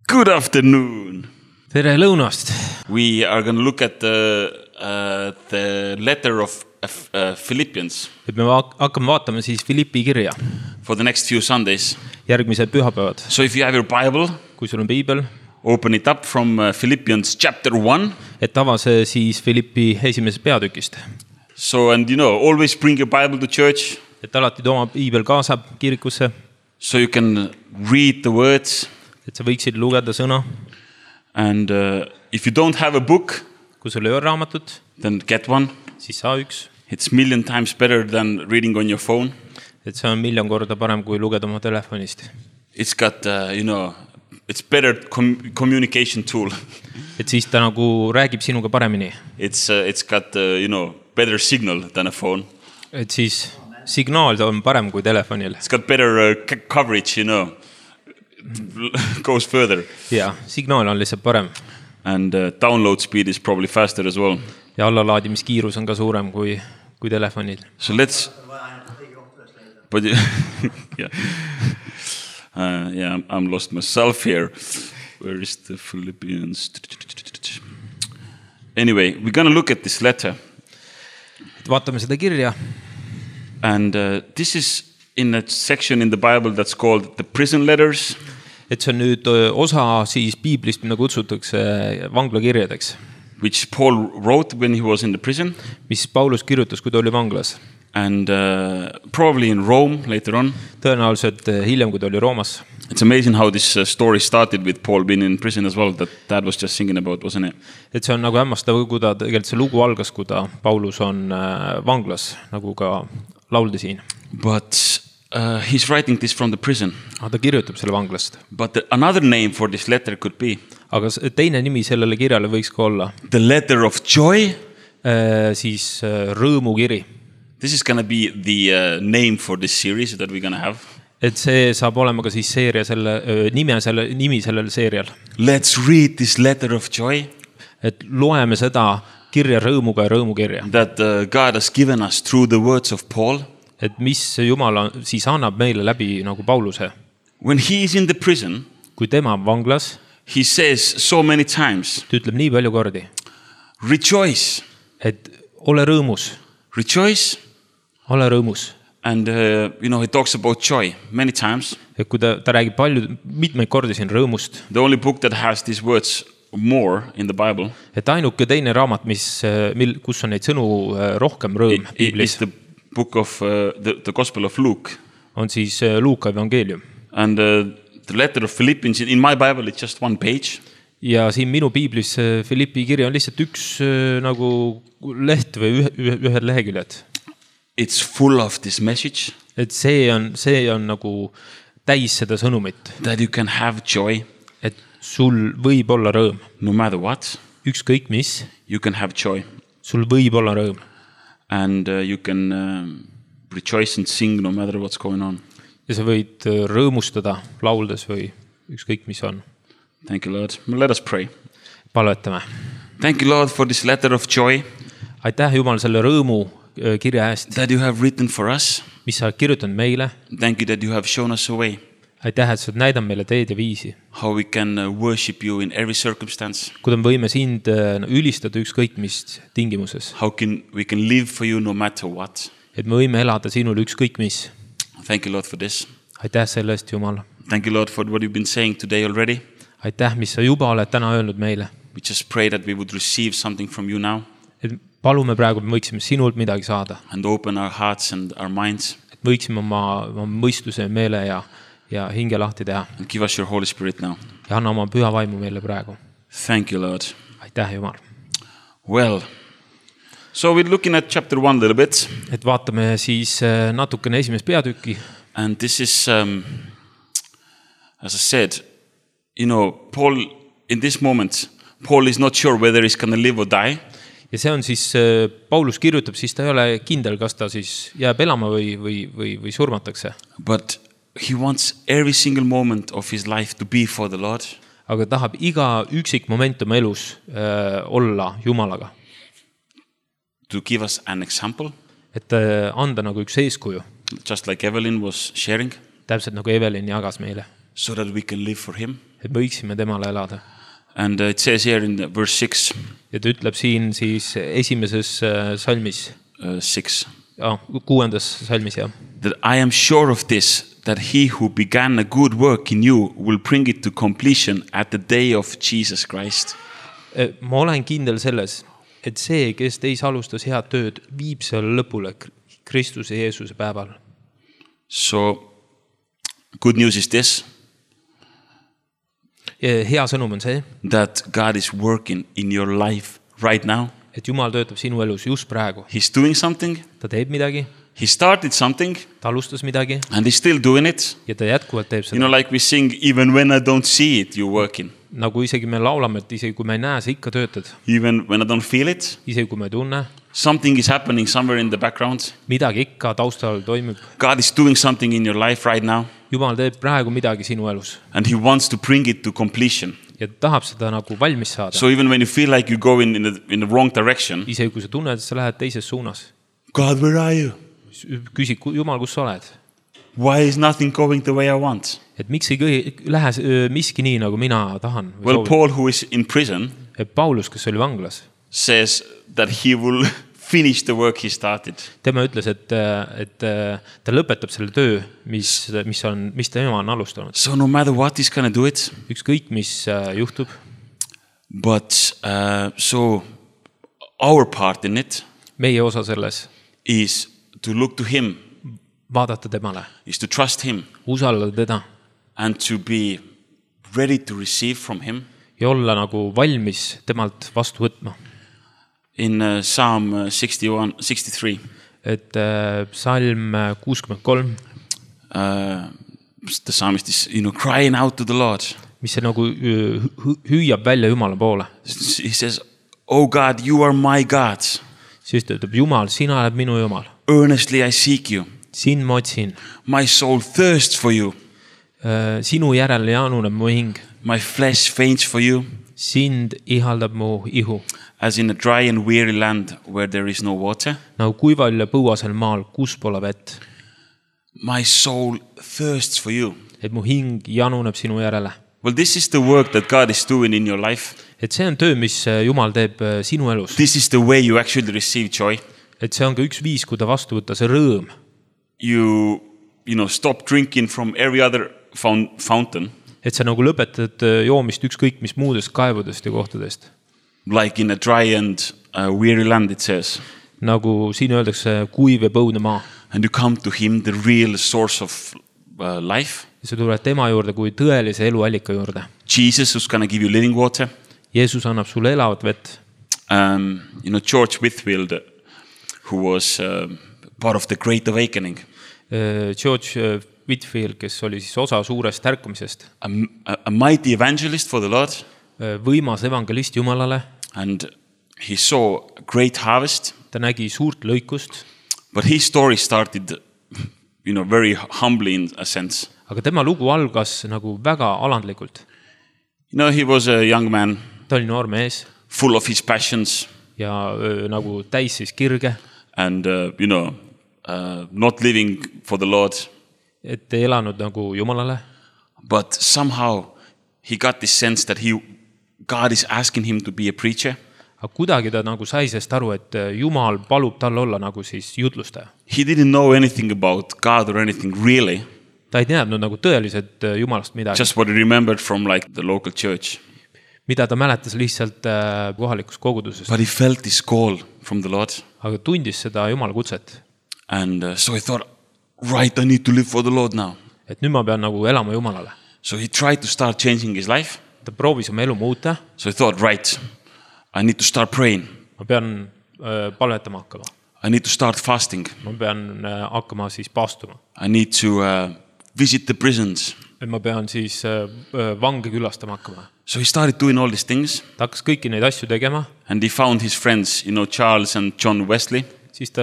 Good afternoon. Tere lõunast. We are going to look at the letter of Philippians Et me hakkame vaatama siis Filippi kirja for the next few Sundays. järgmised pühapäevad. So if you have your Bible, Kui sul on piibel, open it up from Philippians chapter 1. et ava see siis Filippi esimesest peatükist. So, and always bring your Bible to church Et alati too oma piibel kaasab kirikusse, so you can read the words. et sa võiksid lugeda sõna. And if you don't have a book, Kui sul ei ole raamatut, then get one. siis saa üks. It's million times better than reading on your phone. Et see on miljon korda parem, kui lugeda oma telefonist. It's got, it's better communication tool. Et siis ta nagu räägib sinuga paremini. It's got, better signal than a phone. Et siis signaal on parem kui telefonil. It's got better coverage, goes further. Ja, signaal on lihtsalt parem. And download speed is probably faster as well. Ja allalaadimiskiirus on ka suurem kui telefonil. So let's... But yeah. I'm lost myself here. Where is the Philippians? Anyway, we're going to look at this letter. Et vaatame seda kirja. And this is in a section in the Bible that's called the prison letters. Et see on nüüd osa siis piiblist, mida kutsutakse vanglakirjadeks. Which Paul wrote when he was in the prison. Mis Paulus kirjutas, kui ta oli vanglas. And probably in Rome later on. Tõenäoliselt hiljem, kui ta oli Roomas. It's amazing how this story started with Paul being in prison as well, that Dad was just singing about, wasn't it? Et see on nagu hämmastav, kui ta tegelikult see lugu algas, kui ta Paulus on vanglas, nagu ka lauldi siin. But he's writing this from the prison. Ta kirjutab selle vanglast. But another name for this letter could be Aga teine nimi sellele kirjale võiks ka olla the letter of joy. Siis rõõmukiri. This is going to be the name for this series that we're going to have. Et see saab olema ka siis seeria nimi sellel seerial. Let's read this letter of joy. Et loeme seda kirja rõõmuga ja rõõmukirja. That God has given us through the words of Paul. Et mis Jumal siis annab meile läbi nagu Pauluse. When he is in the prison, kui tema on vanglas, he says so many times, ta ütleb nii palju kordi, rejoice. et ole rõõmus. Rejoice. Ole rõõmus. And, he talks about joy many times. Et kui ta räägib mitmeid kordi siin rõõmust. The only book that has these words more in the Bible. Et ainuke teine raamat, kus on neid sõnu rohkem rõõm Biblis. It's the book of the Gospel of Luke. On siis Luuka evangeelium. And the letter of Philippians, in my Bible, it's just one page. Ja siin minu Biblis Filippi kirja on lihtsalt üks nagu leht või ühed leheküljed. It's full of this message. Et see on nagu täis seda sõnumit. That you can have joy. Et sul võib olla rõõm. No matter what. Ükskõik mis. You can have joy. Sul võib olla rõõm. And you can rejoice and sing no matter what's going on. Ja sa võid rõõmustada lauldes või ükskõik mis on. Thank you, Lord. Let us pray. Palvetame. Thank you, Lord, for this letter of joy. Aitäh, Jumal, selle rõõmu kirja eest. That you have written for us. Mis sa kirjutanud meile. Thank you that you have shown us a way. Aitäh, et sa näidanud meile teed ja viisi. How we can worship you in every circumstance. Kuidas me võime sind ülistada ükskõik mis tingimuses. How we can live for you no matter what. Et me võime elada sinul ükskõik mis. Thank you, Lord, for this. Aitäh selle eest, Jumal. Thank you, Lord, for what you've been saying today already. Aitäh, mis sa juba oled täna öelnud meile. We just pray that we would receive something from you now. Et palume praegu, et me võiksime sinult midagi saada. And open our hearts and our minds. Et võiksime oma mõistuse, meele ja hinge lahti teha. And give us your Holy Spirit now. Ja anna oma püha vaimu meile praegu. Thank you, Lord. Aitäh, Jumal. Well, so we're looking at chapter 1 a little bit. Et vaatame siis natukene esimest peatükki. And this is, as I said, Paul, in this moment, Paul is not sure whether he's going to live or die. Ja see on siis, Paulus kirjutab, siis ta ei ole kindel, kas ta siis jääb elama või surmatakse. But he wants every single moment of his life to be for the Lord. Aga tahab iga üksik moment oma elus olla Jumalaga. To give us an example. Et anda nagu üks eeskuju. Just like Evelyn was sharing. Täpselt nagu Evelyn jagas meile. So that we can live for him. et me võiksime temale elada. And it says here in verse 6, Ja ta ütleb siin siis esimeses salmis, 6, 6. salmis, jah. that I am sure of this, that he who began a good work in you will bring it to completion at the day of Jesus Christ. Ma olen kindel selles, et see, kes teis alustas head tööd, viib selle lõpule Kristuse Jeesuse päeval. So, good news is this. Hea sõnum on see, that God is working in your life right now. et Jumal töötab sinu elus just praegu. He's doing something. Ta teeb midagi, He started something ta alustas midagi and he's still doing it. ja ta jätkuvalt teeb You seda. know, like we sing, even when I don't see it, you're working. Nagu isegi me laulame, et isegi kui me ei näe, sa ikka töötad. Even when I don't feel it, Isegi kui me ei tunne, something is happening somewhere in the background. midagi ikka taustal toimub. God is doing something in your life right now Jumal teeb praegu midagi sinu elus and he wants to bring it to completion. ja ta tahab seda nagu valmis saada. So even when you feel like you're going in the wrong direction, Isegi kui sa tunned, et sa lähed teises suunas, God, where are you? küsi, Jumal, kus sa oled? Why is nothing going the way I want? Et miks ei lähe miski nii, nagu mina tahan? Well, Paul, who is in prison, Paulus, kes oli vanglas, says that he will finish the work he started. tema ütles, et ta lõpetab selle töö, mis tema on alustanud. So no matter what, he's gonna do it. Ükskõik, mis juhtub. But so our part in it Meie osa selles is to look to him, vaadata temale, is to trust him usaldada teda and to be ready to receive from him. ja olla nagu valmis temalt vastu võtma. In Psalm 63, Et psalm 63, the psalmist is, crying out to the Lord. mis see nagu hüüab välja Jumala poole. He says, "Oh God, you are my God. Siis ta ütleb, Jumal, sina oled minu Jumal. Earnestly I seek you. Sind ma otsin. My soul thirsts for you. Sinu järele januneb mu hing. My flesh faints for you. Sind ihaldab mu ihu. As in a dry and weary land where there is no water. Nagu kuival ja põuasel maal, kus pole vett. My soul thirsts for you. Et mu hing januneb sinu järele. Well, this is the work that God is doing in your life. Et see on töö, mis Jumal teeb sinu elus. This is the way you actually receive joy. Et see on ka üks viis, kui ta vastu võtta, see rõõm. You stop drinking from every other fountain. Et sa nagu lõpetad joomist ükskõik mis muudest kaevudest ja kohtadest. Like in a dry and weary land, it says. Nagu siin öeldakse kuiv ja põudne maa. And you come to him, the real source of life. Ja sa tuled tema juurde kui tõelise eluallika juurde. Jesus, who's going to give you living water. Jeesus annab sulle elavat vett. George Whitfield, who was part of the Great Awakening. George Whitfield, kes oli siis osa suurest ärkamisest. A mighty evangelist for the Lord. Võimas evangelist Jumalale. And he saw a great harvest. Ta nägi suurt lõikust. But his story started, very humbly in a sense. Aga tema lugu algas nagu väga alandlikult. He was a young man. Ta oli noor mees. Full of his passions. Ja nagu täis siis kirge. And, not living for the Lord. Et ei elanud nagu Jumalale. But somehow he got this sense that God is asking him to be a preacher. Aga kuidagi ta nagu sai sest aru, et Jumal palub tal olla nagu siis jutlustaja. He didn't know anything about God or anything really. Ta ei teadnud nagu tõeliselt Jumalast midagi. Just what he remembered from the local church. Mida ta mäletas lihtsalt kohalikust kogudusest. But he felt this call from the Lord. Aga tundis seda Jumala kutset. And so he thought, right, I need to live for the Lord now. Et nüüd ma pean nagu elama Jumalale. So he tried to start changing his life. Ta proovis oma elu muuta. So he thought, right, I need to start praying. Ma pean palvetama hakkama. I need to start fasting. Ma pean hakkama siis paastuma. I need to visit the prisons. Et ma pean siis vange külastama hakkama. So he started doing all these things. Ta hakkas kõiki neid asju tegema. And he found his friends, Charles and John Wesley. Siis ta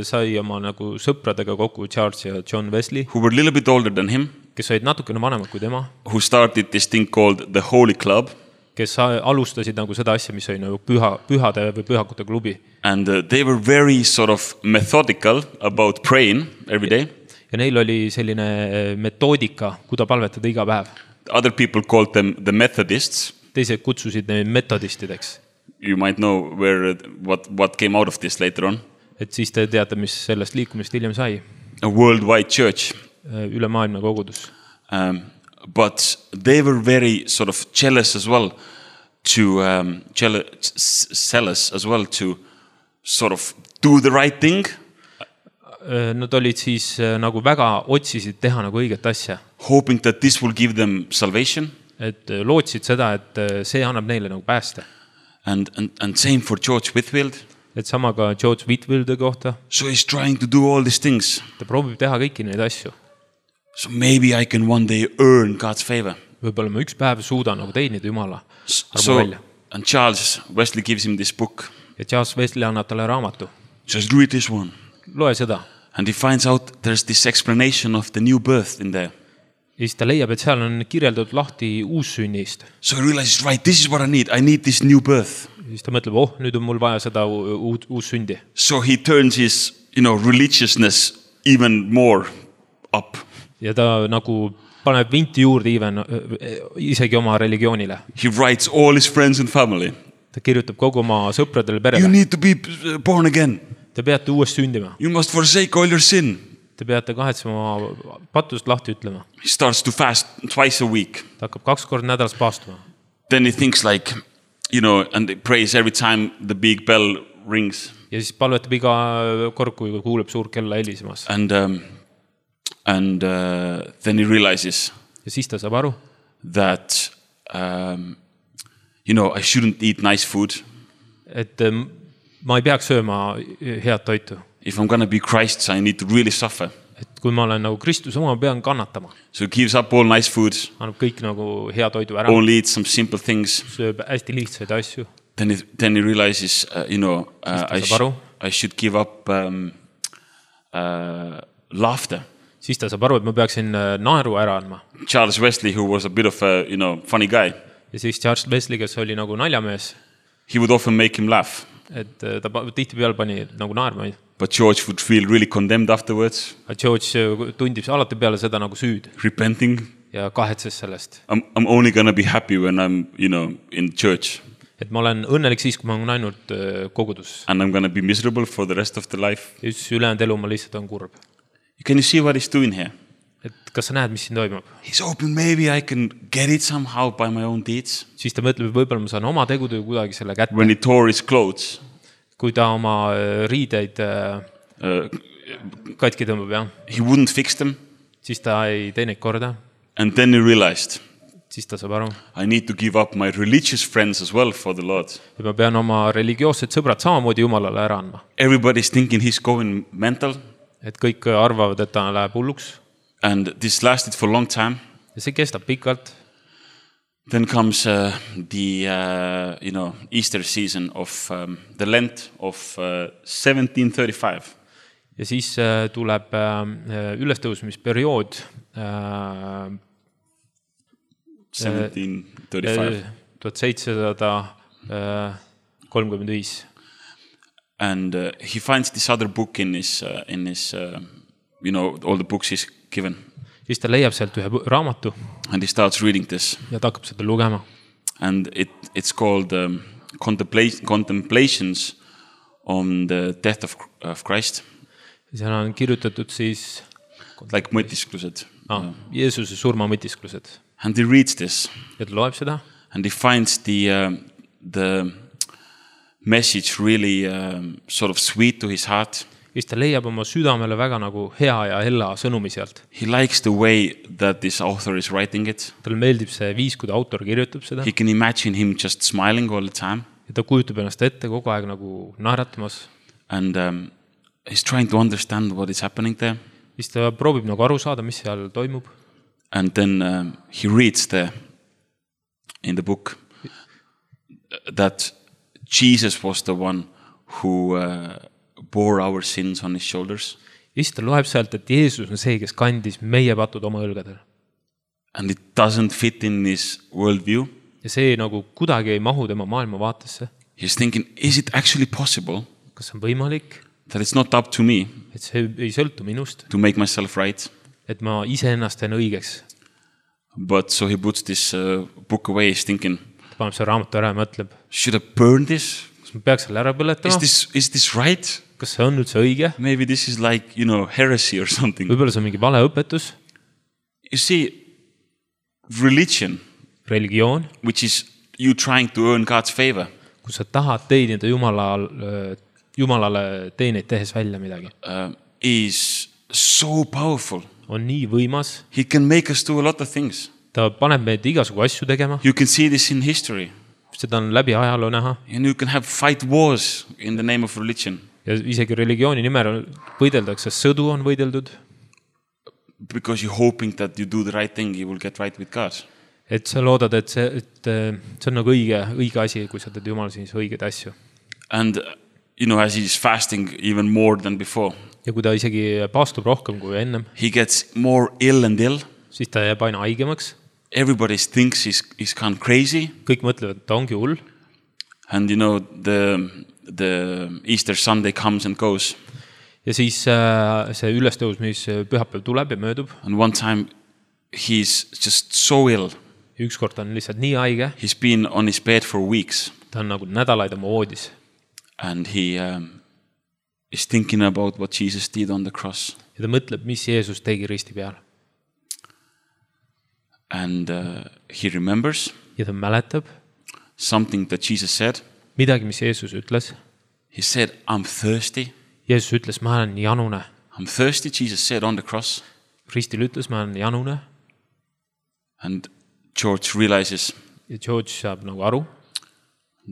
sai oma nagu sõpradega kokku Charles ja John Wesley. Who were a little bit older than him. Kes olid natukene vanemad kui tema. Who started this thing called the Holy Club. Kes alustasid nagu seda asja, mis oli nagu pühade või pühakute klubi. And they were very sort of methodical about praying every day. Ja neil oli selline metoodika, kuida palvetada iga päev. other people called them the Methodists. teised kutsusid neid metodistideks. You might know what came out of this later on. Et siis te teate, mis sellest liikumist hiljem sai. A worldwide church. Üle maailma kogudus. But they were very sort of jealous as well zealous as well to sort of do the right thing. Nad olid siis nagu väga otsisid teha nagu õiget asja. Hoping that this will give them salvation. Et lootsid seda, et see annab neile nagu pääste. And same for George Whitfield. Et sama ka George Whitfieldi kohta. So he's trying to do all these things. Ta proovib teha kõiki neid asju. So maybe I can one day earn God's favor. Võib-olla ma üks päev suudan nagu teenida Jumala armu välja. And Charles Wesley gives him this book. Ja Charles Wesley annab talle raamatu. Just read this one. Loe seda. And he finds out there's this explanation of the new birth in there. Ja siis ta leiab, et seal on kirjeldatud lahti uussünnist. So he realizes, right, this is what I need this new birth. Ja siis ta mõtleb, nüüd on mul vaja seda uussündi. So he turns his, religiousness even more up. Ja ta nagu paneb vinti juurde isegi oma religioonile. He writes all his friends and family. Ta kirjutab kogu oma sõpradele perele. You need to be born again. Te peate uuesti sündima. You must forsake all your sin. Te peate kahetsema pattust lahti ütlema. He starts to fast twice a week. Ta hakkab 2 korda nädalas paastuma. Then he thinks like, and he prays every time the big bell rings. Ja siis palvetab iga kord, kui kuuleb suur kella helisemas. And then he realizes ja siis ta saab aru, that, I shouldn't eat nice food. Et ma ei peaks sööma head toitu. If I'm going to be Christ, I need to really suffer. Et kui ma olen nagu Kristus oma, pean kannatama. So he gives up all nice food. Annab kõik nagu hea toidu ära. Only eat some simple things. Sööb hästi lihtsaid asju. Then he realizes, I should give up laughter. Siis ta saab aru, et ma peaksin naeru ära andma. Charles Wesley, who was a bit of a, funny guy. Ja siis Charles Wesley, kes oli nagu naljamees. He would often make him laugh. Et ta tihti peal pani nagu naerma. But George would feel really condemned afterwards. George tundib alati peale seda nagu süüd. Repenting. Ja kahetses sellest. I'm only gonna be happy when I'm, in church. Et ma olen õnnelik siis, kui ma olen ainult kogudus. And I'm gonna be miserable for the rest of the life. Ja siis ülejäänud elu ma lihtsalt on kurb. Can you see what he's doing here? Et kas sa näed, mis siin toimub? He's hoping maybe I can get it somehow by my own deeds. Siis ta mõtleb, võib-olla ma saan oma tegudega kuidagi selle kätte. When he tore his clothes. Kui ta oma riideid katki tõmbab, jah. He wouldn't fix them. Siis ta ei tee neid korda. And then he realized. Siis ta saab aru. I need to give up my religious friends as well for the Lord. Ja ma pean oma religioossed sõbrad samamoodi Jumalale ära andma. Everybody's thinking he's going mental. Et kõik arvavad, et ta läheb hulluks. And this lasted for a long time. Ja see kestab pikalt. Then comes the Easter season of the Lent of 1735. Ja siis tuleb ülestõusmisperiood 1735. And he finds this other book in his all the books he's given. Siis ta leiab sealt ühe raamatu. And he starts reading this. Ja ta hakkab seda lugema. And it's called Contemplations on the Death of Christ. Seal on kirjutatud siis like mõtisklused. Jeesuse surma mõtisklused. And he reads this. Ja ta loeb seda. And he finds the message really sort of sweet to his heart. Ja ta leiab oma südamele väga nagu hea ja hella sõnumi sealt. He likes the way that this author is writing it. Talle meeldib see viis, kui autor kirjutab seda. He can imagine him just smiling all the time. Ja ta kujutab ennast ette kogu aeg nagu naeratamas. And he's trying to understand what is happening there. Siis ta proovib nagu aru saada, mis seal toimub. And then he reads in the book that Jesus was the one who bore our sins on his shoulders. Ja siis ta loeb sealt, et Jeesus on see, kes kandis meie patud oma õlgadel. And it doesn't fit in his worldview. Ja see nagu kuidagi ei mahu tema maailma vaatesse. He's thinking, is it actually possible? Kas on võimalik? That it's not up to me. Et see ei sõltu minust. To make myself right. Et ma ise ennast teen õigeks. But so he puts this book away, he's thinking, ta paneb selle raamatu ära ja mõtleb, should I burn this? kas ma peaks selle ära põletama, Is this right? kas see on üldse õige, Maybe this is like, heresy or something. võib-olla see on mingi valeõpetus, You see, religion, religioon, which is you trying to earn God's favor, kus sa tahad teenida Jumalale teeneid tehes välja midagi, is so powerful. on nii võimas, He can make us do a lot of things. ta paneb meid igasugu asju tegema, You can see this in history. seda on läbi ajaloo näha And you can fight wars in the name of religion. ja isegi religiooni nimel võideldakse, sõdu on võideldud, Because you're hoping that you do the right thing, you will get right with God. et sa loodad, et see on nagu õige asi, kui sa teed Jumala siis õigeid asju. And, as he's fasting even more than before, Ja kui ta isegi paastub rohkem kui ennem, he gets more ill and ill. siis ta jääb aina haigemaks. Everybody thinks he's gone crazy. Kõik mõtlevad, et ta ongi hull. And, the Easter Sunday comes and goes. Ja siis see ülestõusmis pühapäev tuleb ja möödub. And one time he's just so ill. Ükskord ta on lihtsalt nii haige. He's been on his bed for weeks. Ta on nagu nädalaid oma voodis. And he is thinking about what Jesus did on the cross. Ja ta mõtleb, mis Jeesus tegi risti peal. And he remembers Ja ta mäletab something that Jesus said. midagi, mis Jeesus ütles. He said, I'm thirsty. Jeesus ütles, ma olen janune. I'm thirsty, Jesus said on the cross. Ristil ütles, ma olen janune. And George realizes Ja George saab nagu aru,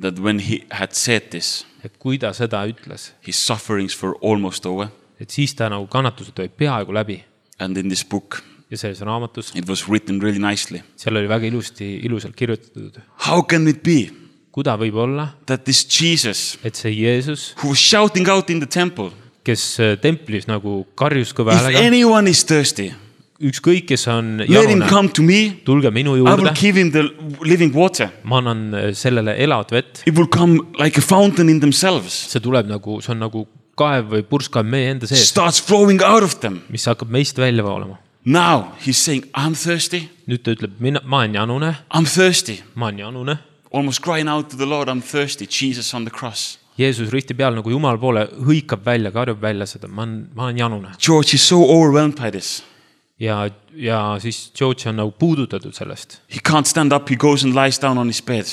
that when he had said this, et kui ta seda ütles, his sufferings were almost over. et siis ta nagu kannatused olid peaaegu läbi. And in this book, Ja selles raamatus, it was written really nicely. seal oli väga ilusalt kirjutatud. How can it be Kuda võib olla, that this Jesus, et see Jeesus, who was shouting out in the temple, kes templis nagu karjus kõva if häälega, anyone is thirsty, ükskõik, kes on let him janune, come to me. tulge minu I will juurde, give him the living water. ma annan sellele elavat vett. It will come like a fountain in themselves. See tuleb nagu, see on nagu kaev või purskkaev meie enda sees, Starts flowing out of them. mis hakkab meist välja voolama. Now he's saying, I'm thirsty. Nüüd ta ütleb, ma olen janune, I'm thirsty. ma olen janune. Almost crying out to the Lord, I'm thirsty. Jesus on the cross. Jeesus risti peal nagu Jumal poole hõikab välja, karjub välja seda, ma olen janune. George is so overwhelmed by this. Ja siis George on nagu puudutatud sellest. He can't stand up. He goes and lies down on his bed.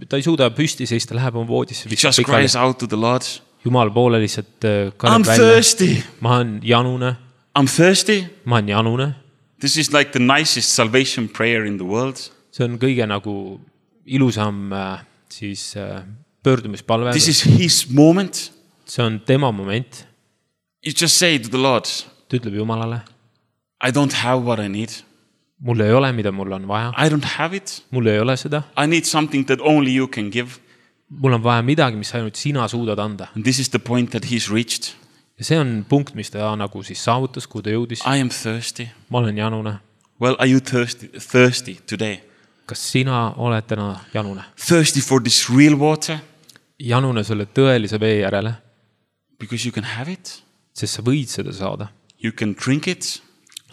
Ta ei suuda püsti seista, läheb oma voodisse. He just cries out to the Lord. Jumal poole lihtsalt I'm karjub välja. thirsty. Ma olen janune, I'm thirsty. ma olen janune. This is like the nicest salvation prayer in the world. See on kõige nagu ilusam siis pöördumispalve. This is his moment. See on tema moment. You just say to the Lord, Ta ütleb Jumalale, I don't have what I need. mul ei ole, mida mul on vaja. I don't have it. Mul ei ole seda. I need something that only you can give. Mul on vaja midagi, mis ainult sina suudad anda. And this is the point that he's reached. Ja see on punkt, mis ta nagu siis saavutas, kuhu ta jõudis. I am thirsty. Ma olen janune. Well, are you thirsty today? Kas sina oled täna janune? Thirsty for this real water? Janune selle tõelise vee järele, Because you can have it. sest sa võid seda saada. You can drink it.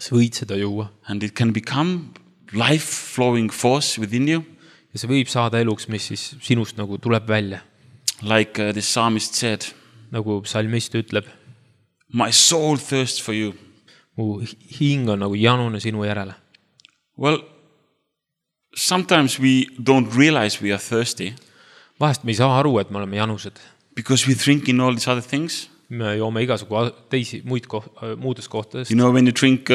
Sa võid seda juua. And it can become life-flowing force within you. Ja see võib saada eluks, mis siis sinust nagu tuleb välja. Like the psalmist said, Nagu psalmist ütleb, my soul thirsts for you. mu hing on nagu janune sinu järele. Well, sometimes we don't realize we are thirsty Vahest me ei saa aru, et me oleme janused. because we drink in all these other things. Me joome igasugu teisi muudes kohtades, You know, when you drink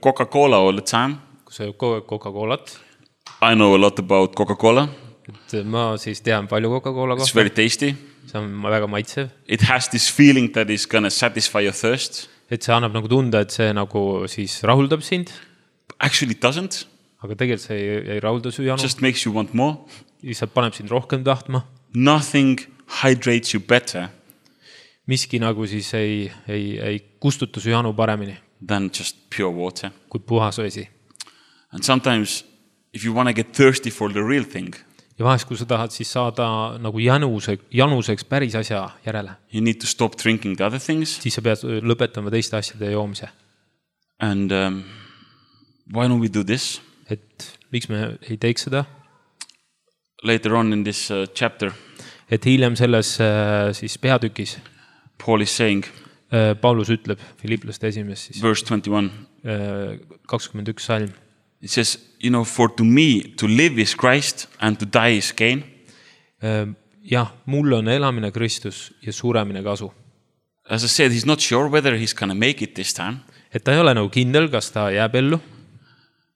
Coca-Cola all the time, kus sa kogu aeg Coca-Colat. I know a lot about Coca-Cola. Et ma siis tean palju Coca-Cola It's kohta. very tasty. See on väga maitsev. It has this feeling that is going to satisfy your thirst. Et see annab nagu tunda, et see nagu siis rahuldab sind. Actually, it doesn't. Aga tegelikult see ei rahulda su janu. Just makes you want more. Lihtsalt paneb sind rohkem tahtma. Nothing hydrates you better Miski nagu siis ei kustuta su janu paremini than just pure water. kui puhas vesi. And sometimes, if you want to get thirsty for the real thing, Ja vahest, kui sa tahad siis saada nagu januseks päris asja järele, you need to stop drinking the other things. siis sa pead lõpetama teiste asjade joomise. And why don't we do this? et miks me ei teeks seda, Later on in this chapter, et hiljem selles siis peatükis Paul is saying, Paulus ütleb Filipplaste 1. siis verse 21, 21 salm. it says, for to me to live is Christ and to die is gain. Jah, mul on elamine Kristus ja suremine kasu. As I said, he's not sure whether he's going to make it this time. Et ta ei ole nagu kindel, kas ta jääb ellu.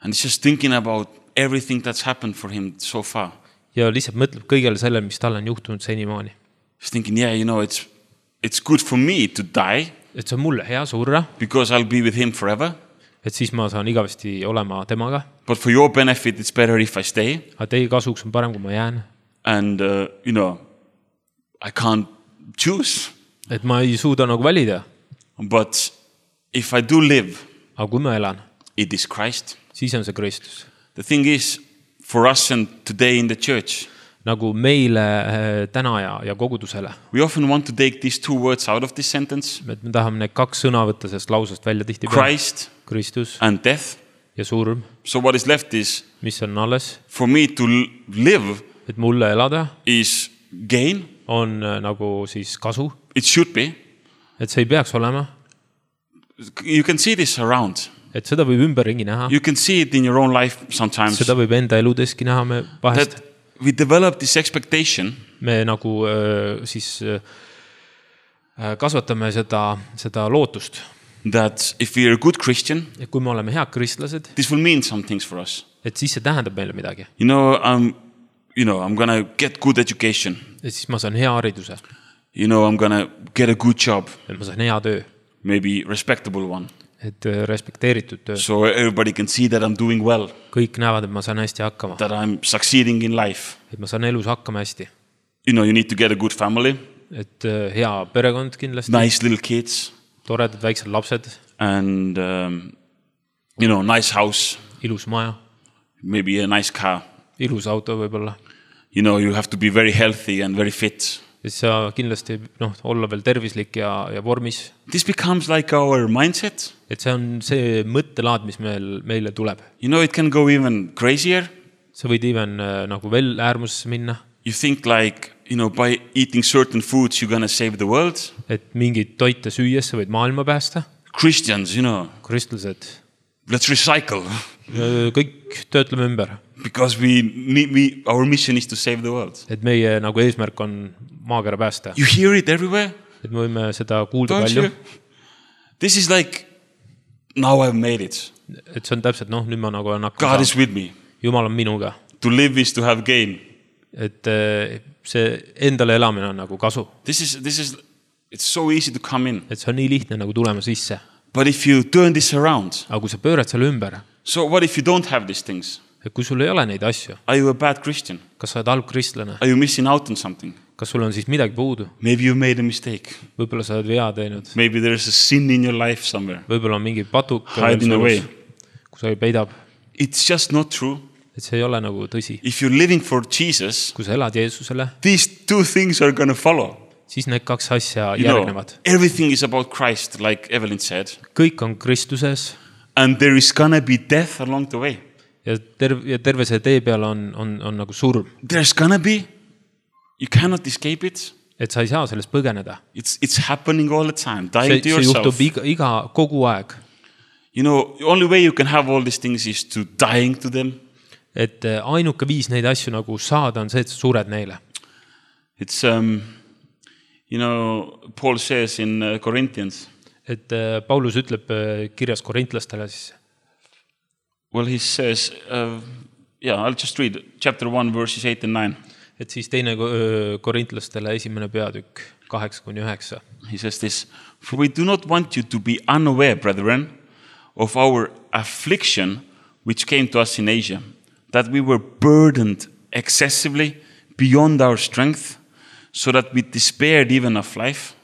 And he's just thinking about everything that's happened for him so far. Ja lihtsalt mõtleb kõigele sellele, mis tal on juhtunud senimaani. He's thinking, it's good for me to die. Et see on mulle hea surra. Because I'll be with him forever. Et siis ma saan igavesti olema temaga. But for your benefit, it's better if I stay. Aga teie kasuks on parem, kui ma jään. And, I can't choose. Et ma ei suuda nagu valida. But if I do live, aga kui ma elan, it is Christ. Siis on see Kristus. The thing is, for us and today in the church, nagu meile täna ja kogudusele. We often want to take these two words out of this sentence. Me tahame need kaks sõna võtta sellest lausest välja tihti. Christ Kristus and death. Ja surm. So what is left is, mis on alles? For me to live, et mulle elada, is gain. On nagu siis kasu. It should be. Et see ei peaks olema. You can see this around. Et seda võib ümberringi näha. You can see it in your own life sometimes. Seda võib enda eludeski näha me vahest. That we develop this expectation. Me nagu siis kasvatame seda lootust. That if we are a good Christian, et kui me oleme head kristlased, this will mean some things for us. Et siis see tähendab meile midagi. I'm gonna get good education. Et siis ma saan hea hariduse. I'm gonna get a good job. Et ma saan hea töö. Maybe respectable one. Et respekteeritud töö. So everybody can see that I'm doing well. Kõik näevad, et ma saan hästi hakkama. That I'm succeeding in life. Et ma saan elus hakkama hästi. You need to get a good family. Et hea perekond kindlasti. Nice little kids. Toredad väiksed lapsed. And, nice house. Ilus maja. Maybe a nice car. Ilus auto võibolla. You have to be very healthy and very fit. Et sa kindlasti olla veel tervislik ja vormis. This becomes like our mindset. Et see on see mõttelaad, mis meile tuleb. It can go even crazier. Sa võid even nagu veel äärmusesse minna. You think like, by eating certain foods you're gonna save the world. Et mingid toite süües sa võid maailma päästa. Christians, Kristlased. Let's recycle. Kõik töötleme ümber. Because our mission is to save the world. Et meie nagu eesmärk on maakera päästa. You hear it everywhere. Et me võime seda kuulda palju. This is like, now I've made it. Et see on täpselt, nüüd ma nagu on God is with me. Jumal on minuga. To live is to have gain. Et see endale elamine on nagu kasu. It's so easy to come in. Et see on nii lihtne nagu tulema sisse. But if you turn this around. Aga kui sa pöörad selle ümber. So what if you don't have these things? Et kui sul ei ole neid asju. Are you a bad Christian? Kas sa oled halb kristlane? Are you missing out on something? Kas sul on siis midagi puudu? Maybe you made a mistake. Võib-olla sa oled vea teinud. Maybe there is a sin in your life somewhere. Võib-olla on mingi patuk. Hiding away. Kus sa peidab. It's just not true. Et see ei ole nagu tõsi. If you're living for Jesus. Kui sa elad Jeesusele. These two things are gonna follow. Siis need kaks asja järgnevad. Everything is about Christ, like Evelyn said. Kõik on Kristuses. And there is gonna be death along the way. Ja terve see tee peal on nagu surm. There's gonna be. You cannot escape it. Et sa ei saa sellest põgeneda. It's happening all the time. Dying to yourself. See juhtub kogu aeg. The only way you can have all these things is to dying to them. Et ainuke viis neid asju nagu saada on see, et sa sured neile. It's, Paul says in Corinthians. Et Paulus ütleb kirjas korintlastele siis. Well, he says, I'll just read chapter 1, verses 8 and 9. Et siis teine korintlastele 1. peatükk 8-9. He says this, for we do not want you to be unaware, brethren, of our affliction which came to us in Asia, that we were burdened excessively beyond our strength, so that we despaired even of life.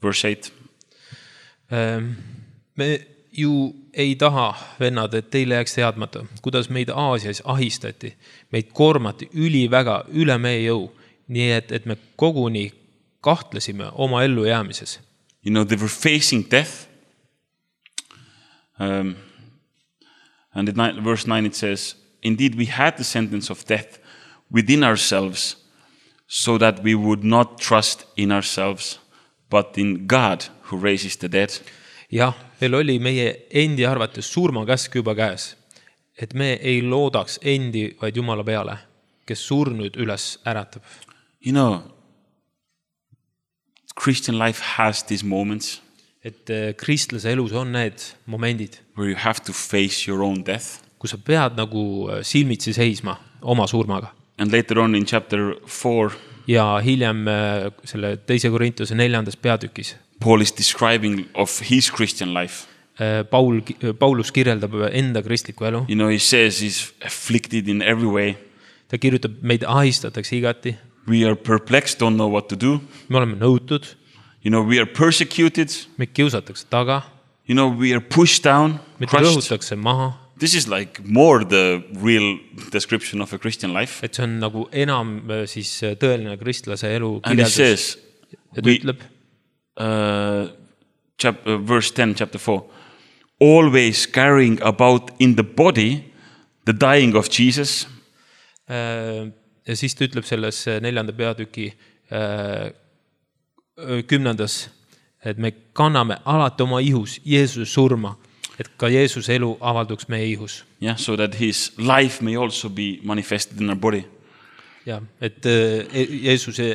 Verse 8. Me ju ei taha, vennad, et teile jääks teadmata, kuidas meid Aasias ahistati. Meid koormati üliväga üle meie jõu, nii et me koguni kahtlesime oma ellu jäämises. They were facing death. And in verse 9 it says, indeed we had the sentence of death within ourselves, so that we would not trust in ourselves, but in God who raises the dead. jah, meil oli meie endi arvates surmakäsk juba käes, et me ei loodaks endi, vaid Jumala peale, kes surnud üles äratab. You know, Christian life has these moments Et kristlase elus on need momendid, where you have to face your own death. kus sa pead nagu silmitsi seisma oma surmaga. And later on in chapter 4, Ja hiljem selle 2. Korintuse 4. peatükis Paul is describing of his Christian life. Paulus kirjeldab enda kristlikku elu. You know, he says he's afflicted in every way. Ta kirjutab, meid ahistatakse igati. We are perplexed, don't know what to do. Me oleme nõutud, You know, we are persecuted. meid kiusatakse taga, You know, we are pushed down, meid crushed. rõhutakse maha. This is like more the real description of a Christian life. Et see on nagu enam siis tõeline kristlase elu And he kirjeldus. says, Ja ta ütleb, verse 10, chapter 4, always carrying about in the body the dying of Jesus. ja siis ta ütleb selles 4. peatüki 10. et me kanname alati oma ihus Jeesuse surma, et ka Jeesuse elu avalduks meie ihus. Yeah, so that his life may also be manifested in our body. Ja, et Jeesuse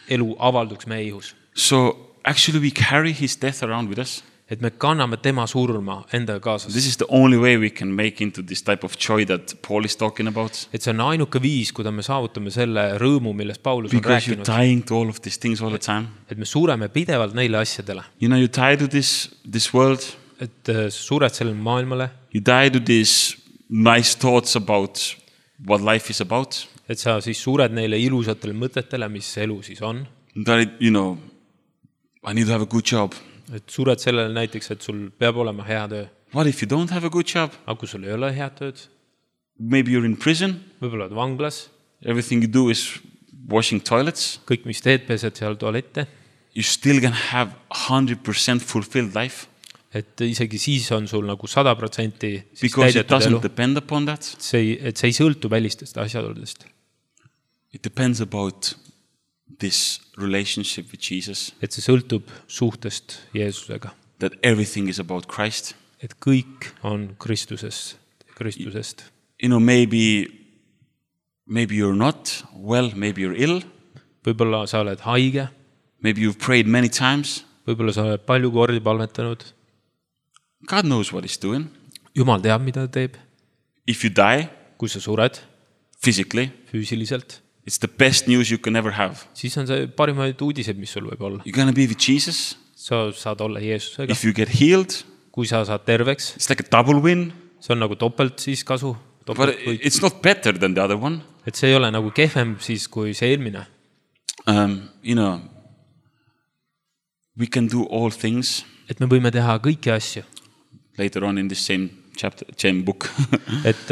elu avalduks meie ihus. So actually we carry his death around with us. Et me kanname tema surma endaga kaasas. This is the only way we can make into this type of joy that Paul is talking about. Et see on ainuke viis, kuida me saavutame selle rõõmu, millest Paulus on Because you're rääkinud. dying to all of these things all the time. Et me sureme pidevalt neile asjadele. You know, you die to this world. Et sured sellele maailmale. You die to these nice thoughts about what life is about. Et sa siis sured neile ilusatele mõtetele, mis elu siis on. You know, I need to have a good job. Et sured sellele näiteks, et sul peab olema hea töö. What if you don't have a good job? Aga kui sul ei ole head tööd, Maybe you're in prison. võib-olla oled vanglas, Everything you do is washing toilets. kõik, mis teed, pesed seal tualette. You still can have 100% fulfilled life. Et isegi siis on sul nagu 100% siis Because it täidetud elu. doesn't depend upon that. Et see ei sõltu välistest asjaoludest. It depends about this relationship with Jesus. Et see sõltub suhtest Jeesusega. That everything is about Christ. Et kõik on Kristusest. You know, maybe you're not well, maybe you're ill. Võib-olla sa oled haige, Maybe you've prayed many times. võib-olla sa oled palju kordi palvetanud. God knows what he's doing. Jumal teab, mida ta teeb. If you die Kui sa sured physically, füüsiliselt, it's the best news you can ever have. siis on see parimaid uudised, mis sul võib olla. You're going to be with Jesus. Sa saad olla Jeesusega. If you get healed, Kui sa saad terveks, it's like a double win. see on nagu topelt siis kasu. But it's not better than the other one. Et see ei ole nagu kehvem siis kui see eelmine. You know, we can do all things. Et me võime teha kõiki asju. Later on in this same chapter, same book. Et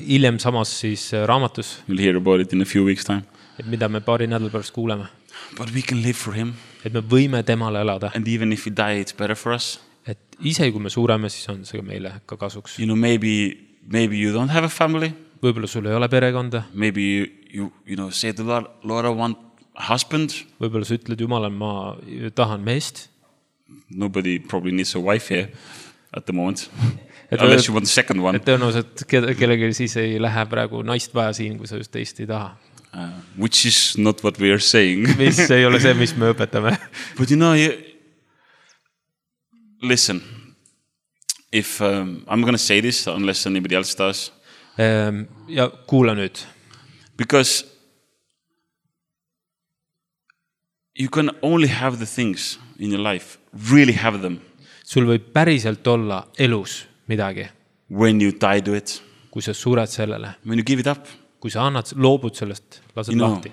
hiljem samas siis raamatus, You'll hear about it in a few weeks' time. et mida me paari nädala pärast kuuleme. But we can live for him. Et me võime temale elada. And even if we die, it's better for us. Et ise kui me sureme, siis on see meile ka kasuks. You know, maybe you don't have a family. Võib-olla sul ei ole perekonda. Maybe you know, say to the Lord, I want a husband. Võib-olla sa ütled Jumalale, ma tahan meest. Nobody probably needs a wife here at the moment. Unless you want the second one. Et tõenäoliselt kellelgi siis ei lähe praegu naist vaja siin, kui sa just teist ei taha. Which is not what we are saying. Mis ei ole see, mis me õpetame. But you know, listen, if I'm going to say this unless anybody else does. Ja kuula nüüd. Because you can only have the things in your life, really have them. Sul võib päriselt olla elus midagi. When you die to it. Kui sa sured sellele. When you give it up. Kui sa loobud sellest, lased lahti.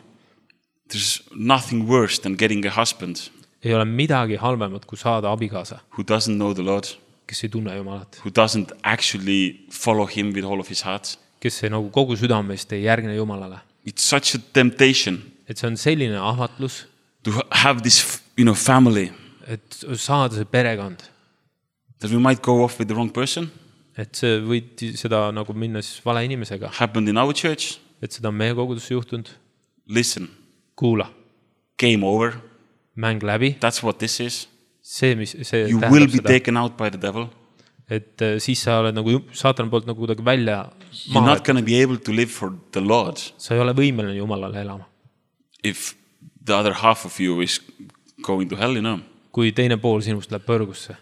There's nothing worse than getting a husband. Ei ole midagi halvemat, kui saada abikaasa. Who doesn't know the Lord. Kes ei tunne Jumalat. Who doesn't actually follow him with all of his heart. Kes ei nagu kogu südamest ei järgne Jumalale. It's such a temptation. Et see on selline ahvatlus. To have this, you know, family. Et saada see perekond. That we might go off with the wrong person. et see võid seda nagu minna siis vale inimesega, happened in our church. et seda on meie kogudusse juhtunud. Listen, Kuula, game over. mäng läbi, That's what this is. see You will tähendab be seda, taken out by the devil. et siis sa oled nagu saatana poolt nagu kuidagi välja You're maha, not going to be able to live for the Lord sa ei ole võimeline Jumalale elama. if the other half of you is going to hell, you know. Kui teine pool sinust läheb põrgusse,